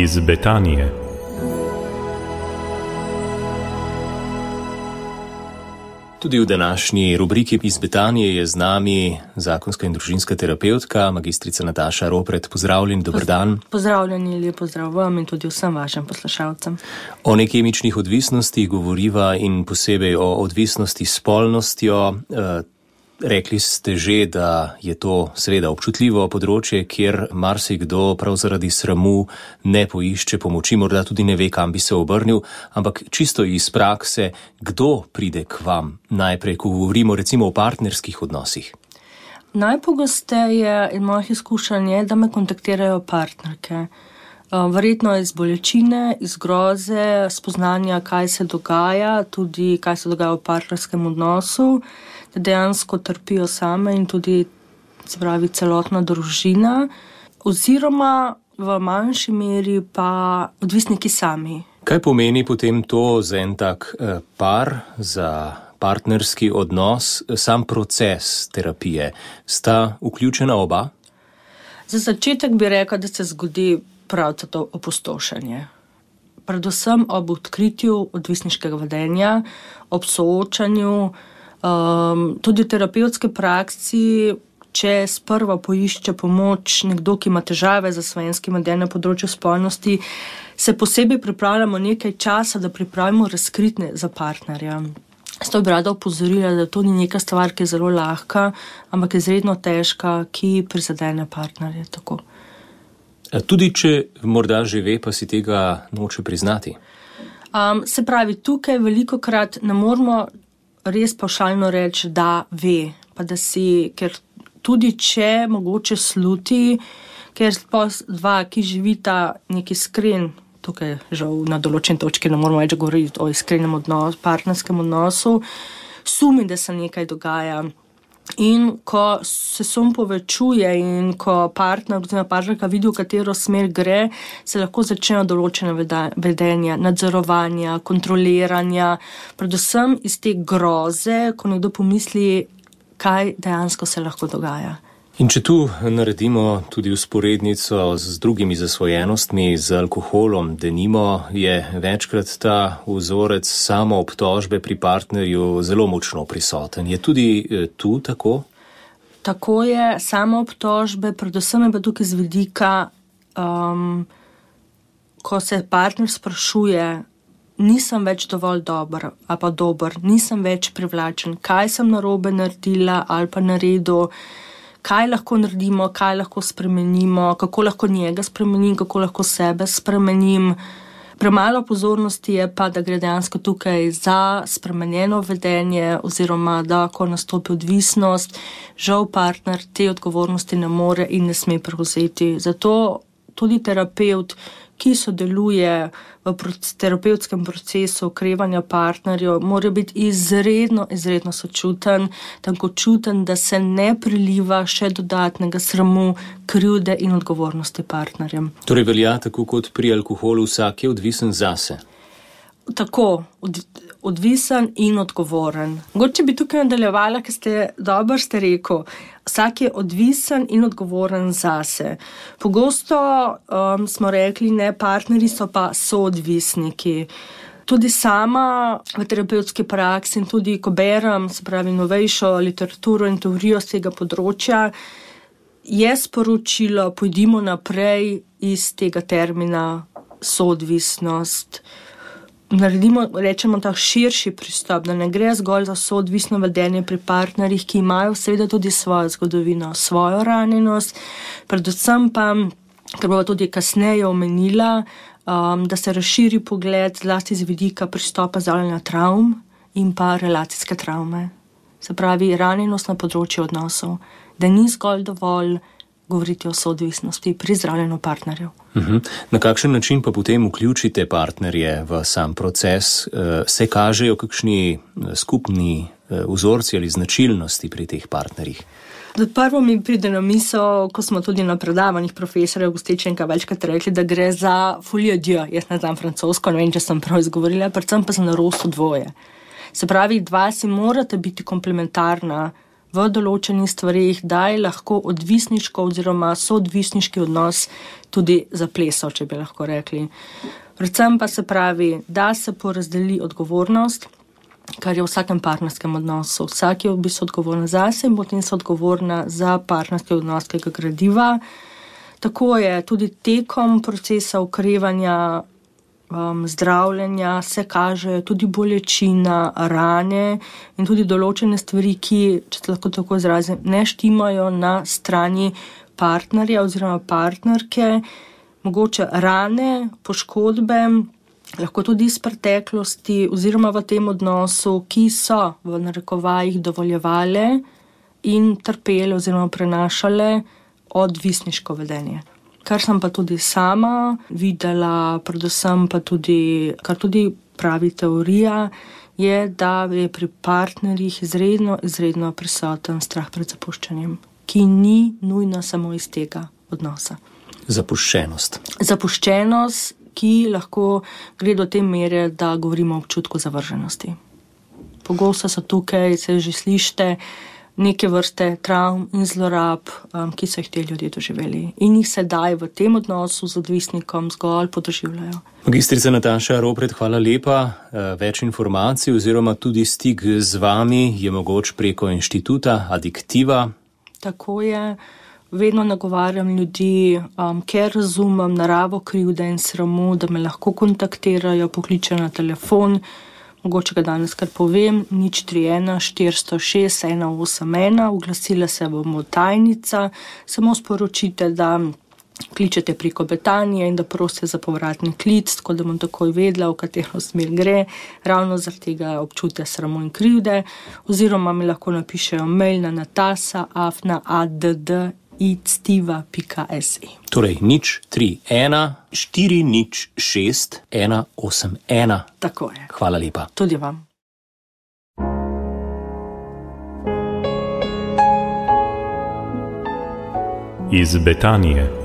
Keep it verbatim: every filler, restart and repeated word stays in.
iz Betanije. Tudi v današnji rubriki iz Betanije je z nami zakonska in družinska terapevtka, magistrica Nataša Ropret. Pozdravljeni, dober dan. Pozdravljeni, lep pozdrav vam in tudi vsem vašim poslušalcem. O nekemičnih odvisnostih govoriva in posebej o odvisnosti s spolnostjo. Rekli ste že, da je to seveda občutljivo področje, kjer marsikdo prav zaradi sramu ne poišče pomoči, morda tudi ne ve, kam bi se obrnil, ampak čisto iz prakse, kdo pride k vam najprej, ko govorimo recimo o partnerskih odnosih? Najpogosteje in mojih izkušenj je, da me kontaktirajo partnerke. Verjetno iz bolečine, iz groze, spoznanja, kaj se dogaja, tudi kaj se dogaja v partnerskem odnosu, da dejansko trpijo same in tudi, se pravi, celotna družina, oziroma v manjši meri pa odvisniki sami. Kaj pomeni potem to za en tak par, za partnerski odnos, sam proces terapije? Sta vključena oba? Za začetek bi rekla, da se zgodi prav to opustošenje. Predvsem ob odkritju odvisniškega vedenja, ob soočanju, Um, tudi v terapevtski praksi, če sprva poišče pomoč nekdo, ki ima težave z zasvojenskim vedenjem na področju spolnosti, se posebej pripravljamo nekaj časa, da pripravimo razkritne za partnerja. Zato bi rada opozorila, da to ni neka stvar, ki je zelo lahka, ampak je izredno težka, ki prizadene partnerje. Tako. Tudi če morda že ve, pa si tega noče priznati? Um, se pravi, tukaj velikokrat ne moramo res pavšalno reči, da ve, pa da si, ker tudi če mogoče sluti, ker dva, ki živita neki iskren, tukaj žal na določen točki ne moramo več govoriti o iskrenem odnosu, partnerskem odnosu, sumi, da se nekaj dogaja. In ko se sum povečuje in ko partner oziroma partnerka vidi, v katero smer gre, se lahko začnejo določene vedenja, nadzorovanja, kontroliranja, predvsem iz te groze, ko nekdo pomisli, kaj dejansko se lahko dogaja. In če tu naredimo tudi usporednico z drugimi zasvojenostmi, z alkoholom, denimo, je večkrat ta vzorec samoobtožbe pri partnerju zelo močno prisoten. Je tudi tu tako? Tako je, samoobtožbe, predvsem je pa tukaj z vidika, um, ko se partner sprašuje, nisem več dovolj dober, ali pa dober, nisem več privlačen, kaj sem narobe naredila ali pa naredil, kaj lahko naredimo, kaj lahko spremenimo, kako lahko njega spremenim, kako lahko sebe spremenim. Premalo pozornosti je pa, da gre dejansko tukaj za spremenjeno vedenje oziroma da, ko nastopi odvisnost, žal partner te odgovornosti ne more in ne sme prevzeti. Zato tudi terapevt, ki sodeluje v terapevtskem procesu okrevanja partnerjev, mora biti izredno, izredno sočuten, tankočuten, da se ne priliva še dodatnega sramu, krivde in odgovornosti partnerjem. Torej velja tako kot pri alkoholu, vsak je odvisen zase? Tako, od, odvisen in odgovoren. Mogoče bi tukaj nadaljevala, ker ste dobro ste rekel, vsak je odvisen in odgovoren zase. Pogosto um, smo rekli, ne, partnerji so pa soodvisniki. Tudi sama v terapevtski praksi in tudi, ko berem, se pravi, novejšo literaturo in teorijo z tega področja, je sporočilo, pojdimo naprej iz tega termina soodvisnost. Naredimo, rečemo, tak širši pristop, da ne gre zgolj za soodvisno vedenje pri partnerjih, ki imajo seveda tudi svojo zgodovino, svojo ranjenost, predvsem pa, ker bova tudi kasneje omenila, um, da se razširi pogled zlasti z vidika pristopa zdravljenja travm in pa relacijske travme. Se pravi, ranjenost na področju odnosov, da ni zgolj dovolj govoriti o soodvisnosti pri zdravljenju partnerjev. Uh-huh. Na kakšen način pa potem vključite partnerje v sam proces? Se kažejo kakšni skupni vzorci ali značilnosti pri teh partnerjih? Prvo mi pride na misel, ko smo tudi na predavanjih profesorja Gostečenka večkrat rekli, da gre za folie dieu. Jaz ne znam francosko, ne vem, če sem prav izgovorila, predvsem pa za narost dvoje. Se pravi, dva si morate biti komplementarna v določenih stvarih, da je lahko odvisniško oziroma soodvisniški odnos tudi zaplesal, če bi lahko rekli. Predvsem pa se pravi, da se porazdeli odgovornost, kar je v vsakem partnerskem odnosu. Vsak je v bistvu odgovoren zase in potem so odgovorna za partnerski odnos, ki ga gradiva. Tako je tudi tekom procesa okrevanja, um, zdravljenja se kaže tudi bolečina, rane in tudi določene stvari, ki, če se lahko tako izrazim, ne štimajo na strani partnerja oziroma partnerke, mogoče rane, poškodbe, lahko tudi iz preteklosti oziroma v tem odnosu, ki so v narekovajih dovoljevale in trpele oziroma prenašale odvisniško vedenje. Kar sem pa tudi sama videla, predvsem pa tudi, kar tudi pravi teorija, je, da je pri partnerjih izredno, izredno prisoten strah pred zapuščanjem, ki ni nujno samo iz tega odnosa. Zapuščenost. Zapuščenost, ki lahko gre do te mere, da govorimo o občutku zavrženosti. Pogosto so tukaj, se že slišite, neke vrste travm in zlorab, um, ki so jih te ljudje doživeli in jih sedaj v tem odnosu z odvisnikom zgolj podoživljajo. Magistrica Nataša Ropret, hvala lepa. Več informacij oziroma tudi stik z vami je mogoč preko inštituta Adiktiva. Tako je. Vedno nagovarjam ljudi, um, ker razumem naravo krivde in sramu, da me lahko kontaktirajo, pokličejo na telefon. Mogoče ga danes kar povem, nič tri ena štiristo šest ena osem ena, oglasila se bomo tajnica, samo sporočite, da kličete preko Betanije in da prosite za povratni klic, tako da bom takoj vedela, v katero smer gre, ravno zaradi tega občutja sramu in krivde, oziroma mi lahko napišejo mail na natasa afna add ictiva pika se. Torej, nič tri ena štiri nič šest ena osem ena. Tako je. Hvala lepa. Tudi vam. Iz Betanije.